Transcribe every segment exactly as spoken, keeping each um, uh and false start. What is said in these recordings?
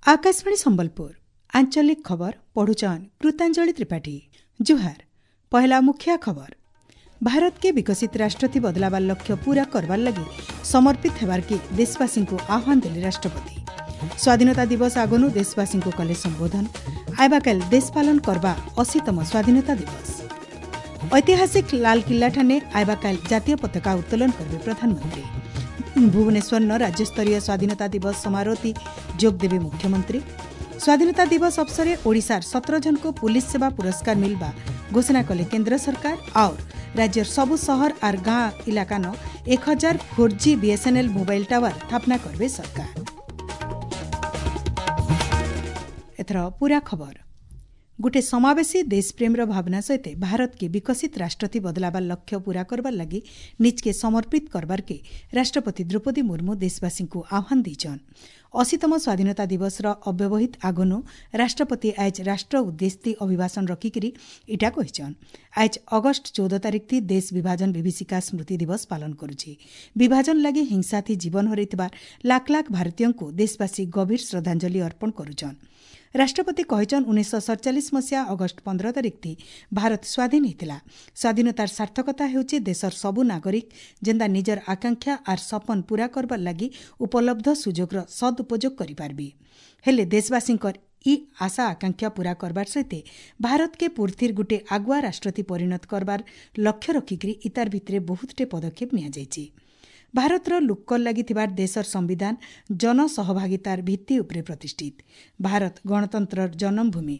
ଆକାଶବାଣୀ ସମ୍ବଲପୁର ଆଞ୍ଚଳିକ ଖବର ପଢୁଛନ୍ କୃତାଞ୍ଜଳି ତ୍ରିପାଠୀ ଜୁହାର ପହେଲା ମୁଖ୍ୟ ଖବର ଭାରତ କେ ବିକଶିତ ରାଷ୍ଟ୍ର ଥି ବଦଲାବାର ଲକ୍ଷ୍ୟ ପୂରା କରବାର ଲାଗି ସମର୍ପିତ ହେବାର କେ ଦେଶବାସୀଙ୍କୁ ଆହ୍ୱାନ ଦେଲେ ରାଷ୍ଟ୍ରପତି ସ୍ୱାଧୀନତା ଦିବସ ଆଗନୁ ଦେଶବାସୀଙ୍କୁ କଲେ ସମ୍ବୋଧନ ଆଇବାକାଲ ଦେଶ ପାଳନ କରବା ଅଶୀତମ ସ୍ୱାଧୀନତା ଦିବସ ଐତିହାସିକ ଲାଲକିଲ୍ଲା ଠାନେ ଆଇବାକାଲ ଜାତୀୟ ପତାକା ଉତ୍ତୋଳନ କରିବେ ପ୍ରଧାନମନ୍ତ୍ରୀ ଭୁବନେଶ୍ୱର ନ ରାଜ୍ୟସ୍ତରୀୟ ସ୍ୱାଧୀନତା ଦିବସ ସମାରୋହତି ଯୋଗ ଦେବେ ମୁଖ୍ୟମନ୍ତ୍ରୀ ସ୍ୱାଧୀନତା ଦିବସ ଅବସରେ ଓଡ଼ିଶାର ସତର ଜଣଙ୍କୁ ପୁଲିସ ସେବା ପୁରସ୍କାର ମିଲବା ଘୋଷଣା କଲେ କେନ୍ଦ୍ର ସରକାର ଆଉ ରାଜ୍ୟର ସବୁ ସହର ଆର୍ ଗାଁ ଇଲାକାନ ଏକ ହଜାର four G BSNL mobile tower ସ୍ଥାପନା କରିବେ ସରକାର ଏଥର ପୂରା ଖବର ଗୋଟେ ସମାବେଶୀ ଦେଶପ୍ରେମର ଭାବନା ସହିତ ଭାରତକେ ବିକଶିତ ରାଷ୍ଟ୍ରଥି ବଦଲାବାର ଲକ୍ଷ୍ୟ ପୂରା କରବାର ଲାଗି ନିଜକେ ସମର୍ପିତ କରବାରକେ ରାଷ୍ଟ୍ରପତି ଦ୍ରୌପଦୀ ମୁର୍ମୁ ଦେଶବାସୀଙ୍କୁ ଆହ୍ୱାନ ଦେଇଛନ୍ ଅଶୀତମ ସ୍ୱାଧୀନତା ଦିବସର ଅବ୍ୟବହିତ ଆଗନୁ ରାଷ୍ଟ୍ରପତି ଆଏଜ୍ ରାଷ୍ଟ୍ର ଉଦ୍ଦେଶ୍ୟ ଅଭିଭାଷଣ ରଖିକିରି ଇଟା କହିଛନ୍ ଆଏଜ୍ ଅଗଷ୍ଟ ଚଉଦ ତାରିଖ ଦେଶ ବିଭାଜନ ବିଭୀଷିକା ସ୍ମୃତି ଦିବସ ପାଳନ କରୁଛି ବିଭାଜନ ଲାଗି ହିଂସାଥି ଜୀବନ ହରାଇଥିବା ଲାଖ ଲାଖ ଭାରତୀୟଙ୍କୁ ଦେଶବାସୀ ଗଭୀର ଶ୍ରଦ୍ଧାଞ୍ଜଳି ଅର୍ପଣ କରୁଛନ୍ ରାଷ୍ଟ୍ରପତି କହିଛନ୍ ଉଣେଇଶହ ସତଚାଳିଶ ମସିହା ଅଗଷ୍ଟ ପନ୍ଦର ତାରିଖ ଭାରତ ସ୍ୱାଧୀନ ହେଇଥିଲା ସ୍ୱାଧୀନତାର ସାର୍ଥକତା ହେଉଛି ଦେଶର ସବୁ ନାଗରିକ ଯେନ୍ତା ନିଜର ଆକାଂକ୍ଷା ଆର୍ ସପନ ପୂରା କରବାର ଲାଗି ଉପଲବ୍ଧ ସୁଯୋଗର ସଦୁପଯୋଗ କରିପାରିବେ ହେଲେ ଦେଶବାସୀଙ୍କର ଇ ଆଶା ଆକାଂକ୍ଷା ପୂରା କରବାର ସହିତ ଭାରତକେ ପୂର୍ଥିର ଗୁଟେ ଆଗୁଆ ରାଷ୍ଟ୍ରତି ପରିଣତ କରବାର ଲକ୍ଷ୍ୟ ରଖିକରି ଇତାର ଭିତରେ ବହୁତଟେ ପଦକ୍ଷେପ ନିଆଯାଇଛି ଭାରତର ଲୁକ୍କର ଲାଗି ଥିବାର ଦେଶର ସମ୍ବିଧାନ ଜନସହଭାଗିତାର ଭିତ୍ତି ଉପରେ ପ୍ରତିଷ୍ଠିତ ଭାରତ ଗଣତନ୍ତ୍ରର ଜନ୍ମଭୂମି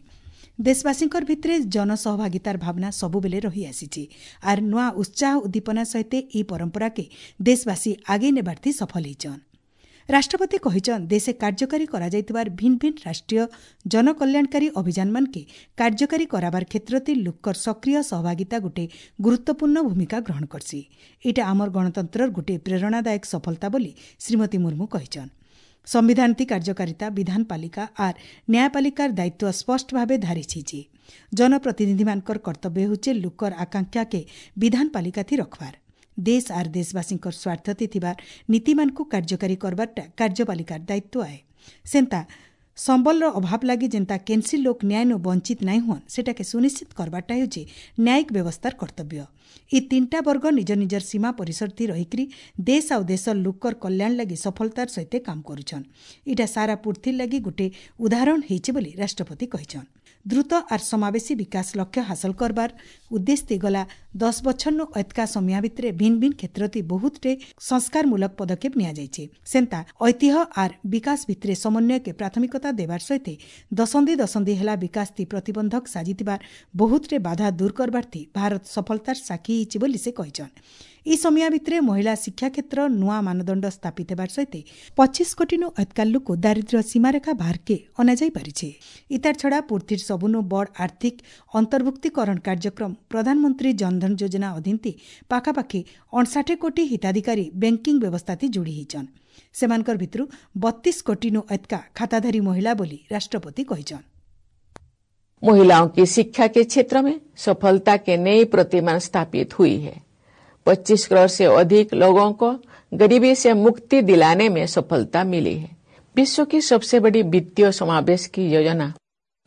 ଦେଶବାସୀଙ୍କର ଭିତରେ ଜନସହଭାଗିତାର ଭାବନା ସବୁବେଳେ ରହିଆସିଛି ଆର୍ ନୂଆ ଉତ୍ସାହ ଉଦ୍ଦୀପନା ସହିତ ଇ ପରମ୍ପରାକେ ଦେଶବାସୀ ଆଗେଇ ନେବାର୍ଥି ସଫଳ ହେଇଛନ୍ ରାଷ୍ଟ୍ରପତି କହିଛନ୍ ଦେଶେ କାର୍ଯ୍ୟକାରୀ କରାଯାଇଥିବାର ଭିନ୍ନ ଭିନ୍ନ ରାଷ୍ଟ୍ରୀୟ ଜନକଲ୍ୟାଣକାରୀ ଅଭିଯାନମାନକେ କାର୍ଯ୍ୟକାରୀ କରାବାର କ୍ଷେତ୍ରତି ଲୁକର ସକ୍ରିୟ ସହଭାଗିତା ଗୋଟେ ଗୁରୁତ୍ୱପୂର୍ଣ୍ଣ ଭୂମିକା ଗ୍ରହଣ କରସି ଏଇଟା ଆମର ଗଣତନ୍ତ୍ରର ଗୋଟେ ପ୍ରେରଣାଦାୟକ ସଫଳତା ବୋଲି ଶ୍ରୀମତୀ ମୁର୍ମୁ କହିଛନ୍ ସମ୍ବିଧାନତି କାର୍ଯ୍ୟକାରିତା ବିଧାନପାଳିକା ଆର୍ ନ୍ୟାୟପାଳିକାର ଦାୟିତ୍ୱ ସ୍ପଷ୍ଟ ଭାବେ ଧାରିଛି ଜନପ୍ରତିନିଧିମାନଙ୍କର କର୍ତ୍ତବ୍ୟ ହେଉଛି ଲୁକର ଆକାଂକ୍ଷାକେ ବିଧାନପାଳିକାଥି ରଖବାର ଦେଶ ଆର୍ ଦେଶବାସୀଙ୍କର ସ୍ୱାର୍ଥତି ଥିବାର ନୀତିମାନଙ୍କୁ କାର୍ଯ୍ୟକାରୀ କରବାରଟା କାର୍ଯ୍ୟପାଳିକାର ଦାୟିତ୍ୱ ଆଏ ସେନ୍ତା ସମ୍ବଲର ଅଭାବ ଲାଗି ଯେନ୍ତା କେନ୍ସି ଲୋକ ନ୍ୟାୟନୁ ବଞ୍ଚିତ ନାଇଁ ହୁଅନ୍ ସେଟାକେ ସୁନିଶ୍ଚିତ କରବାରଟା ହେଉଛି ନ୍ୟାୟିକ ବ୍ୟବସ୍ଥାର କର୍ତ୍ତବ୍ୟ ଇ ତିନିଟା ବର୍ଗ ନିଜ ନିଜର ସୀମା ପରିସରଥି ରହିକରି ଦେଶ ଆଉ ଦେଶର ଲୋକର କଲ୍ୟାଣ ଲାଗି ସଫଳତାର ସହିତ କାମ କରୁଛନ୍ ଇଟା ସାରା ପୃଥିବୀ ଲାଗି ଗୋଟେ ଉଦାହରଣ ହେଇଛି ବୋଲି ରାଷ୍ଟ୍ରପତି କହିଛନ୍ ଦ୍ରୁତ ଆର୍ ସମାବେଶୀ ବିକାଶ ଲକ୍ଷ୍ୟ ହାସଲ କରବାର ଉଦ୍ଦେଶ୍ୟ ଗଲା ଦଶ ବଛରନୁ ଏତକା ସମୟ ଭିତରେ ଭିନ୍ନ ଭିନ୍ନ କ୍ଷେତ୍ରତି ବହୁତଟେ ସଂସ୍କାରମୂଳକ ପଦକ୍ଷେପ ନିଆଯାଇଛି ସେନ୍ତା ଐତିହ୍ୟ ଆର୍ ବିକାଶ ଭିତରେ ସମନ୍ୱୟକେ ପ୍ରାଥମିକତା ଦେବାର ସହିତ ଦଶନ୍ଧି ଦଶନ୍ଧି ହେଲା ବିକାଶତି ପ୍ରତିବନ୍ଧକ ସାଜିଥିବାର ବହୁତଟେ ବାଧା ଦୂର କରବାର୍ଥି ଭାରତ ସଫଳତାର ସାକ୍ଷୀ ହେଇଛି ବୋଲି ସେ କହିଛନ୍ ଇ ସମୟ ଭିତରେ ମହିଳା ଶିକ୍ଷା କ୍ଷେତ୍ର ନୂଆ ମାନଦଣ୍ଡ ସ୍ଥାପିତ ହେବାର ସହିତ ପଚିଶ କୋଟିନୁ ଏତକା ଲୋକ ଦାରିଦ୍ର୍ୟ ସୀମାରେଖା ବାହାରକେ ଅଣାଯାଇ ପାରିଛି ଇତାର ଛଡ଼ା ପୃଥିବୀର ସବୁନୁ ବଡ଼ ଆର୍ଥିକ ଅନ୍ତର୍ଭୁକ୍ତୀକରଣ କାର୍ଯ୍ୟକ୍ରମ ପ୍ରଧାନମନ୍ତ୍ରୀ ଜନଧନ ଯୋଜନା ଅଧୀନତି ପାଖାପାଖି ଅଣଷାଠି କୋଟି ହିତାଧିକାରୀ ବ୍ୟାଙ୍କିଂ ବ୍ୟବସ୍ଥାତି ଯୋଡ଼ି ହେଇଛନ୍ ସେମାନଙ୍କର ଭିତରୁ ବତିଶ କୋଟିନୁ ଏତକା ଖାତାଧାରୀ ମହିଳା ବୋଲି ରାଷ୍ଟ୍ରପତି କହିଛନ୍ महिलाओं की शिक्षा के क्षेत्र में सफलता के नई प्रतिमान स्थापित हुई है पच्चीस करोड़ से अधिक लोगों को गरीबी से मुक्ति दिलाने में सफलता मिली है विश्व की सबसे बड़ी वित्तीय समावेश की योजना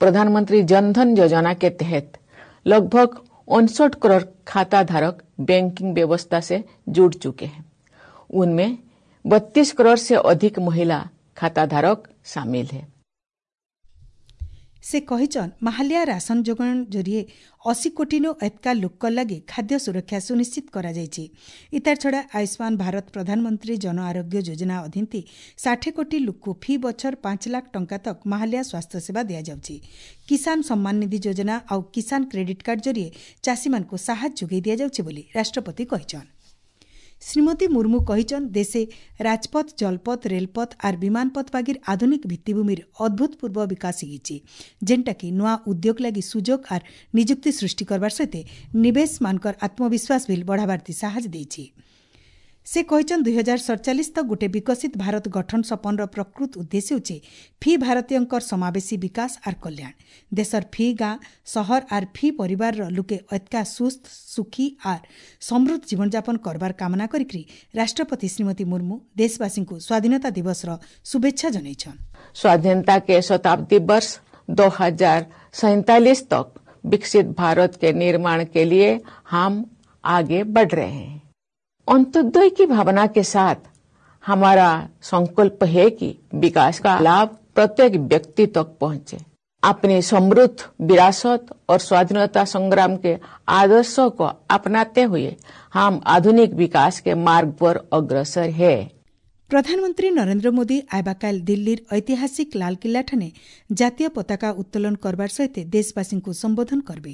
प्रधानमंत्री जनधन योजना के तहत लगभग उनसठ करोड़ खाता धारक बैंकिंग व्यवस्था से जुड़ चुके हैं उनमें बत्तीस करोड़ से अधिक महिला खाता धारक शामिल है ସେ କହିଛନ୍ ମାହାଲିଆ ରାସନ ଯୋଗାଣ ଜରିଏ ଅଶୀ କୋଟିନୁ ଏତକା ଲୋକର ଲାଗି ଖାଦ୍ୟ ସୁରକ୍ଷା ସୁନିଶ୍ଚିତ କରାଯାଇଛି ଇତାର ଛଡ଼ା ଆୟୁଷ୍ମାନ ଭାରତ ପ୍ରଧାନମନ୍ତ୍ରୀ ଜନ ଆରୋଗ୍ୟ ଯୋଜନା ଅଧୀନତି ଷାଠିଏ କୋଟି ଲୋକକୁ ଫି ବଛର ପାଞ୍ଚ ଲାଖ ଟଙ୍କା ତକ ମାହାଲିଆ ସ୍ୱାସ୍ଥ୍ୟ ସେବା ଦିଆଯାଉଛି କିଷାନ ସମ୍ମାନ ନିଧି ଯୋଜନା ଆଉ କିଷାନ କ୍ରେଡିଟ୍ କାର୍ଡ ଜରିଏ ଚାଷୀମାନଙ୍କୁ ସାହାଯ୍ୟ ଯୋଗାଇ ଦିଆଯାଉଛି ବୋଲି ରାଷ୍ଟ୍ରପତି କହିଛନ୍ ଶ୍ରୀମତୀ ମୁର୍ମୁ କହିଛନ୍ ଦେଶେ ରାଜପଥ ଜଳପଥ ରେଲପଥ ଆର୍ ବିମାନପଥ ବାଗିର ଆଧୁନିକ ଭିତ୍ତିଭୂମିର ଅଦ୍ଭୁତପୂର୍ବ ବିକାଶ ହେଇଛି ଯେନ୍ଟାକି ନୂଆ ଉଦ୍ୟୋଗ ଲାଗି ସୁଯୋଗ ଆର୍ ନିଯୁକ୍ତି ସୃଷ୍ଟି କରବାର ସହିତ ନିବେଶମାନଙ୍କର ଆତ୍ମବିଶ୍ୱାସ ବିଲ୍ ବଢ଼ାବାର୍ଥି ସାହାଯ୍ୟ ଦେଇଛି ସେ କହିଛନ୍ ଦୁଇ ହଜାର ସତଚାଳିଶ ତକ୍ ଗୋଟେ ବିକଶିତ ଭାରତ ଗଠନ ସପନର ପ୍ରକୃତ ଉଦ୍ଦେଶ୍ୟ ହେଉଛି ଫି ଭାରତୀୟଙ୍କର ସମାବେଶୀ ବିକାଶ ଆର୍ କଲ୍ୟାଣ। ଦେଶର ଫି ଗାଁ, ସହର ଆର୍ ଫି ପରିବାରର ଲୁକେ ଅତ୍କା ସୁସ୍ଥ, ସୁଖୀ ଆର୍ ସମୃଦ୍ଧ ଜୀବନଯାପନ କରବାର କାମନା କରିକି ରାଷ୍ଟ୍ରପତି ଶ୍ରୀମତୀ ମୁର୍ମୁ ଦେଶବାସୀଙ୍କୁ ସ୍ୱାଧୀନତା ଦିବସର ଶୁଭେଚ୍ଛା ଜଣାଇଛନ୍। स्वाधीनता के शताब्दी वर्ष दो हजार सैंतालीस तक विकसित भारत के निर्माण के लिए हम आगे बढ़ रहे हैं। अंत्योदय की भावना के साथ हमारा संकल्प है कि विकास का लाभ प्रत्येक व्यक्ति तक पहुंचे। अपनी समृद्ध विरासत और स्वाधीनता संग्राम के आदर्शों को अपनाते हुए हम आधुनिक विकास के मार्ग पर अग्रसर है। ପ୍ରଧାନମନ୍ତ୍ରୀ ନରେନ୍ଦ୍ର ମୋଦି ଆଇବାକାଲ ଦିଲ୍ଲୀର ଐତିହାସିକ ଲାଲକିଲ୍ଲାଠାନେ ଜାତୀୟ ପତାକା ଉତ୍ତୋଳନ କରବାର ସହିତ ଦେଶବାସୀଙ୍କୁ ସମ୍ବୋଧନ କରିବେ।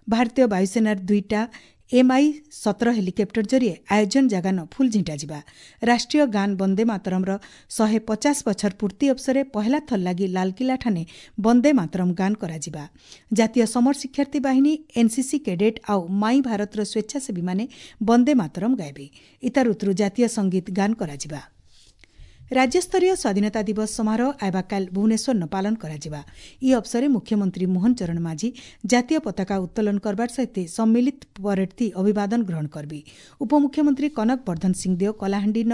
ଭାରତୀୟ ବାୟୁସେନାର ଦୁଇଟା ଏମ୍ଆଇ ସତର ହେଲିକପ୍ଟର ଜରିଏ ଆୟୋଜନ ଜାଗାନ ଫୁଲ ଝିଣ୍ଟାଯିବା। ରାଷ୍ଟ୍ରୀୟ ଗାନ ବନ୍ଦେ ମାତରମ୍ର ଶହେ ପଚାଶ ବଛର ପୂର୍ତ୍ତି ଅବସରେ ପହେଲା ଥର ଲାଗି ଲାଲକିଲ୍ଲାଠାନେ ବନ୍ଦେ ମାତରମ୍ ଗାନ କରାଯିବା। ଜାତୀୟ ସମର ଶିକ୍ଷାର୍ଥୀ ବାହିନୀ, ଏନ୍ସିସି କେଡେଟ୍ ଆଉ ମାଇ ଭାରତର ସ୍ୱେଚ୍ଛାସେବୀମାନେ ବନ୍ଦେ ମାତରମ୍ ଗାଇବେ। ଇତାର ଉତ୍ତରୁ ଜାତୀୟ ସଙ୍ଗୀତ ଗାନ କରାଯିବା। ରାଜ୍ୟସ୍ତରୀୟ ସ୍ୱାଧୀନତା ଦିବସ ସମାରୋହ ଆଇବାକାଲ ଭୁବନେଶ୍ୱରନ ପାଳନ କରାଯିବା। ଇ ଅବସରେ ମୁଖ୍ୟମନ୍ତ୍ରୀ ମୋହନ ଚରଣ ମାଝୀ ଜାତୀୟ ପତାକା ଉତ୍ତୋଳନ କରବାର ସହିତ ସମ୍ମିଳିତ ପରେଡ୍ ଅଭିବାଦନ ଗ୍ରହଣ କରିବେ। ଉପମୁଖ୍ୟମନ୍ତ୍ରୀ କନକ ବର୍ଦ୍ଧନ ସିଂଦେଓ କଳାହାଣ୍ଡିନ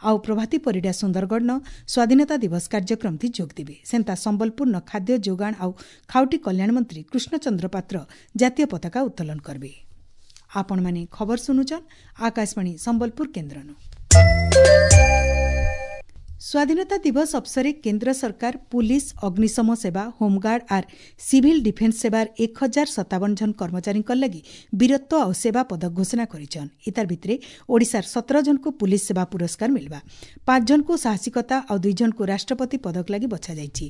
ଆଉ ପ୍ରଭାତୀ ପରିଡ଼ା ସୁନ୍ଦରଗଡ଼ନ ସ୍ୱାଧୀନତା ଦିବସ କାର୍ଯ୍ୟକ୍ରମଥି ଯୋଗ ଦେବେ। ସେନ୍ତା ସମ୍ବଲପୁରନ ଖାଦ୍ୟ ଯୋଗାଣ ଆଉ ଖାଉଟି କଲ୍ୟାଣ ମନ୍ତ୍ରୀ କୃଷ୍ଣଚନ୍ଦ୍ର ପାତ୍ର ଜାତୀୟ ପତାକା ଉତ୍ତୋଳନ କରିବେ। ଆପଣମାନେ ଖବର ଶୁଣୁଛନ୍ ଆକାଶବାଣୀ ସମ୍ବଲପୁର କେନ୍ଦ୍ରନୁ। ସ୍ୱାଧୀନତା ଦିବସ ଅବସରେ କେନ୍ଦ୍ର ସରକାର ପୁଲିସ, ଅଗ୍ନିଶମ ସେବା, ହୋମଗାର୍ଡ ଆର୍ ସିଭିଲ ଡିଫେନ୍ସ ସେବାର ଏକ ହଜାର ସତାବନ ଜଣ କର୍ମଚାରୀଙ୍କ ଲାଗି ବୀରତ୍ୱ ଆଉ ସେବା ପଦକ ଘୋଷଣା କରିଛନ୍। ଇତାର ଭିତରେ ଓଡ଼ିଶାର ସତର ଜଣଙ୍କୁ ପୁଲିସ ସେବା ପୁରସ୍କାର ମିଳିବା, ପାଞ୍ଚ ଜଣଙ୍କୁ ସାହସିକତା ଆଉ ଦୁଇ ଜଣଙ୍କୁ ରାଷ୍ଟ୍ରପତି ପଦକ ଲାଗି ବଛାଯାଇଛି।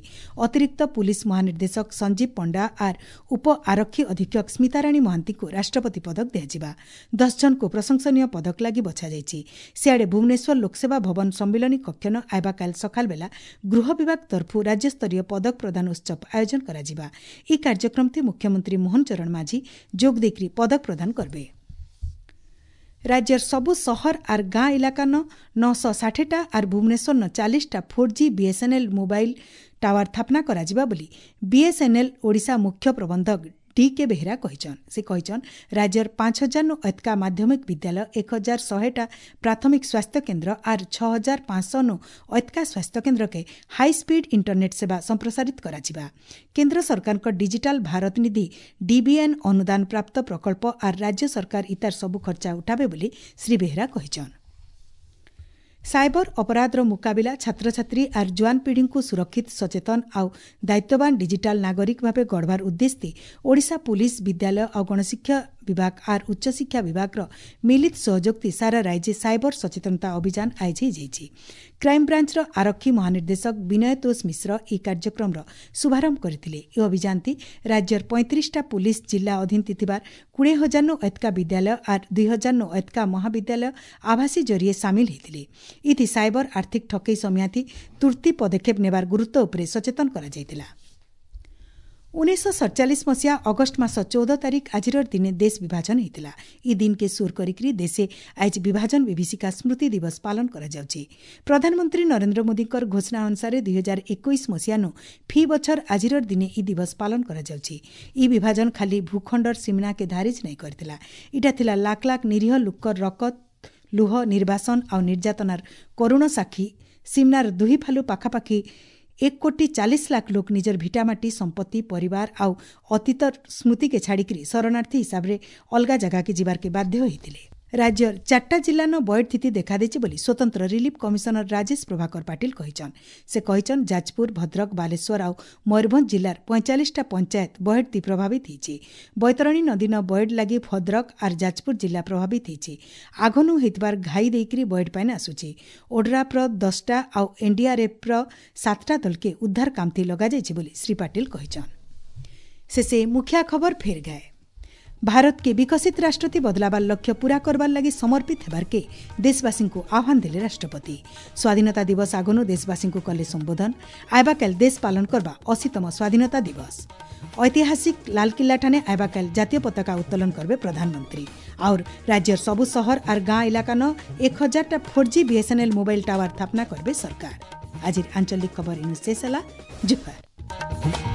ଅତିରିକ୍ତ ପୁଲିସ ମହାନିର୍ଦ୍ଦେଶକ ସଞ୍ଜୀବ ପଣ୍ଡା ଆର୍ ଉପ ଆରକ୍ଷୀ ଅଧୀକ୍ଷକ ସ୍ମିତାରାଣୀ ମହାନ୍ତିଙ୍କୁ ରାଷ୍ଟ୍ରପତି ପଦକ ଦିଆଯିବା। ଦଶ ଜଣଙ୍କୁ ପ୍ରଶଂସନୀୟ ପଦକ ଲାଗି ବଛାଯାଇଛି। ସିଆଡ଼େ ଭୁବନେଶ୍ୱର ଲୋକସେବା ଭବନ ସମ୍ମିଳନୀ କକ୍ଷନ ଆଇବାକାଲ ସକାଳ ବେଲା ଗୃହ ବିଭାଗ ତରଫରୁ ରାଜ୍ୟସ୍ତରୀୟ ପଦକ ପ୍ରଦାନ ଉତ୍ସବ ଆୟୋଜନ କରାଯିବା। ଏହି କାର୍ଯ୍ୟକ୍ରମଥି ମୁଖ୍ୟମନ୍ତ୍ରୀ ମୋହନ ଚରଣ ମାଝୀ ଯୋଗ ଦେଇକରି ପଦକ ପ୍ରଦାନ କରିବେ। ରାଜ୍ୟର ସବୁ ସହର ଆର୍ ଗାଁ ଇଲାକାନ ନଅଶହ ଷାଠିଏଟା ଆର୍ ଭୁବନେଶ୍ୱରନ ଚାଳିଶଟା four G BSNL mobile tower ସ୍ଥାପନା କରାଯିବା ବୋଲି ବିଏସ୍ଏନ୍ଏଲ୍ ଓଡ଼ିଶା ମୁଖ୍ୟ ପ୍ରବନ୍ଧକ ଡି କେ ବେହେରା କହିଛନ୍। ସେ କହିଛନ୍ ରାଜ୍ୟର ପାଞ୍ଚ ହଜାରନୁ ଅତ୍କା ମାଧ୍ୟମିକ ବିଦ୍ୟାଳୟ, ଏକ ହଜାର ଶହେଟା ପ୍ରାଥମିକ ସ୍ୱାସ୍ଥ୍ୟ କେନ୍ଦ୍ର ଆର୍ ଛଅ ହଜାର ପାଞ୍ଚଶହନୁ ଅତ୍କା ସ୍ୱାସ୍ଥ୍ୟ କେନ୍ଦ୍ରକେ ହାଇସ୍ପିଡ୍ ଇଣ୍ଟରନେଟ୍ ସେବା ସମ୍ପ୍ରସାରିତ କରାଯିବା। କେନ୍ଦ୍ର ସରକାରଙ୍କ ଡିଜିଟାଲ ଭାରତ ନିଧି ଡିବିଏନ୍ ଅନୁଦାନ ପ୍ରାପ୍ତ ପ୍ରକଳ୍ପ ଆର୍ ରାଜ୍ୟ ସରକାର ଇତାର ସବୁ ଖର୍ଚ୍ଚା ଉଠାବେ ବୋଲି ଶ୍ରୀ ବେହେରା କହିଛନ୍। ସାଇବର ଅପରାଧର ମୁକାବିଲା, ଛାତ୍ରଛାତ୍ରୀ ଆର୍ ଜୁଆନ ପିଢ଼ିଙ୍କୁ ସୁରକ୍ଷିତ, ସଚେତନ ଆଉ ଦାୟିତ୍ୱବାନ ଡିଜିଟାଲ ନାଗରିକ ଭାବେ ଗଢ଼ବାର ଉଦ୍ଦେଶ୍ୟ ଓଡ଼ିଶା ପୁଲିସ, ବିଦ୍ୟାଳୟ ଆଉ ଗଣଶିକ୍ଷା ବିଭାଗ ଆର୍ ଉଚ୍ଚଶିକ୍ଷା ବିଭାଗର ମିଳିତ ସହଯୋଗଥି ସାରା ରାଜ୍ୟ ସାଇବର ସଚେତନତା ଅଭିଯାନ ଆୟୋଜିତ ହୋଇଯାଇଛି। କ୍ରାଇମବ୍ରାଞ୍ଚର ଆରକ୍ଷୀ ମହାନିର୍ଦ୍ଦେଶକ ବିନୟ ତୋଷ ମିଶ୍ର ଏହି କାର୍ଯ୍ୟକ୍ରମର ଶୁଭାରମ୍ଭ କରିଥିଲେ। ଏହି ଅଭିଯାନଟି ରାଜ୍ୟର ପଇଁତିରିଶଟା ପୁଲିସ ଜିଲ୍ଲା ଅଧୀନ ଥିବା କୋଡ଼ିଏ ହଜାରନୁ ଅତ୍କା ବିଦ୍ୟାଳୟ ଆର୍ ଦୁଇ ହଜାରନୁ ଅତ୍କା ମହାବିଦ୍ୟାଳୟ ଆଭାସୀ ଜରିଏ ସାମିଲ ହୋଇଥିଲେ। ଇଥି ସାଇବର ଆର୍ଥିକ ଠକେଇ ସମିଆଥି ତୁର୍ତ୍ତି ପଦକ୍ଷେପ ନେବାର ଗୁରୁତ୍ୱ ଉପରେ ସଚେତନ କରାଯାଇଥିଲା। ଉଣେଇଶହ ସତଚାଳିଶ ମସିହା ଅଗଷ୍ଟ ମାସ ଚଉଦ ତାରିଖ ଆଜିର ଦିନେ ଦେଶ ବିଭାଜନ ହୋଇଥିଲା। ଇ ଦିନକେ ସୁର କରିକି ଦେଶେ ଆଜି ବିଭାଜନ ବିଭୀଷିକା ସ୍ମୃତି ଦିବସ ପାଳନ କରାଯାଉଛି। ପ୍ରଧାନମନ୍ତ୍ରୀ ନରେନ୍ଦ୍ର ମୋଦିଙ୍କର ଘୋଷଣା ଅନୁସାରେ ଦୁଇ ହଜାର ଏକୋଇଶ ମସିହାନୁ ଫି ବଛର ଆଜିର ଦିନେ ଇ ଦିବସ ପାଳନ କରାଯାଉଛି। ଇ ବିଭାଜନ ଖାଲି ଭୂଖଣ୍ଡର ସୀମନାକେ ଧାରିଜ ନାଇଁ କରିଥିଲା, ଇଟା ଥିଲା ଲାଖ ଲାଖ ନିରୀହ ଲୋକର ରକତ, ଲୁହ, ନିର୍ବାସନ ଆଉ ନିର୍ଯାତନାର କରୁଣ ସାକ୍ଷୀ। ସୀମନାର ଦୁହି ଫାଲୁ ପାଖାପାଖି ଏକ କୋଟି ଚାଳିଶ ଲାଖ ଲୋକ ନିଜର ଭିଟାମାଟି, ସମ୍ପତ୍ତି, ପରିବାର ଆଉ ଅତୀତ ସ୍ମୃତିକେ ଛାଡ଼ିକରି ଶରଣାର୍ଥୀ ହିସାବରେ ଅଲଗା ଜାଗାକେ ଯିବାର୍କେ ବାଧ୍ୟ ହୋଇଥିଲେ। ରାଜ୍ୟର ଚାରିଟା ଜିଲ୍ଲାନ ବୈଠ ସ୍ଥିତି ଦେଖାଦେଇଛି ବୋଲି ସ୍ୱତନ୍ତ୍ର ରିଲିଫ୍ କମିଶନର ରାଜେଶ ପ୍ରଭାକର ପାଟିଲ କହିଛନ୍। ସେ କହିଛନ୍ ଯାଜପୁର, ଭଦ୍ରକ, ବାଲେଶ୍ୱର ଆଉ ମୟୂରଭଞ୍ଜ ଜିଲ୍ଲାର ପଇଁଚାଳିଶଟା ପଞ୍ଚାୟତ ବୈଠତି ପ୍ରଭାବିତ ହେଇଛି। ବୈତରଣୀ ନଦୀନ ବୈଠ ଲାଗି ଭଦ୍ରକ ଆର୍ ଯାଜପୁର ଜିଲ୍ଲା ପ୍ରଭାବିତ ହେଇଛି। ଆଘନୁ ହେଇଥିବାର ଘାଇ ଦେଇକରି ବୈଠ ପାଇନ୍ ଆସୁଛି। ଓଡ୍ରାଫ୍ର ଦଶଟା ଆଉ ଏନ୍ଡିଆର୍ଏଫ୍ର ସାତଟା ଦଳକେ ଉଦ୍ଧାର କାମଥି ଲଗାଯାଇଛି ବୋଲି ଶ୍ରୀ ପାଟିଲ କହିଛନ୍। ଶେଷେ ମୁଖିଆ ଖବର ଫେର୍ ଗାଏ। भारत के विकसित राष्ट्रति बदलावार लक्ष्य पूरा करवार लागि समर्पित हेबार के देशवासी को आह्वान दिले राष्ट्रपति। स्वाधीनता दिवस आगनु देशवासी को कले संबोधन। आइबाकाल देश पालन करबा अशीतम स्वाधीनता दिवस। ऐतिहासिक लालकिल्ला ठाने आइबाकाल जातीय पताका उत्तोलन करबे प्रधानमंत्री। और राज्यर सबु शहर और गांव इलाका न एक हजार four G BSNL mobile tower स्थापना करबे सरकार। आज आंचलिक खबर इनु शेष होला। जुहार।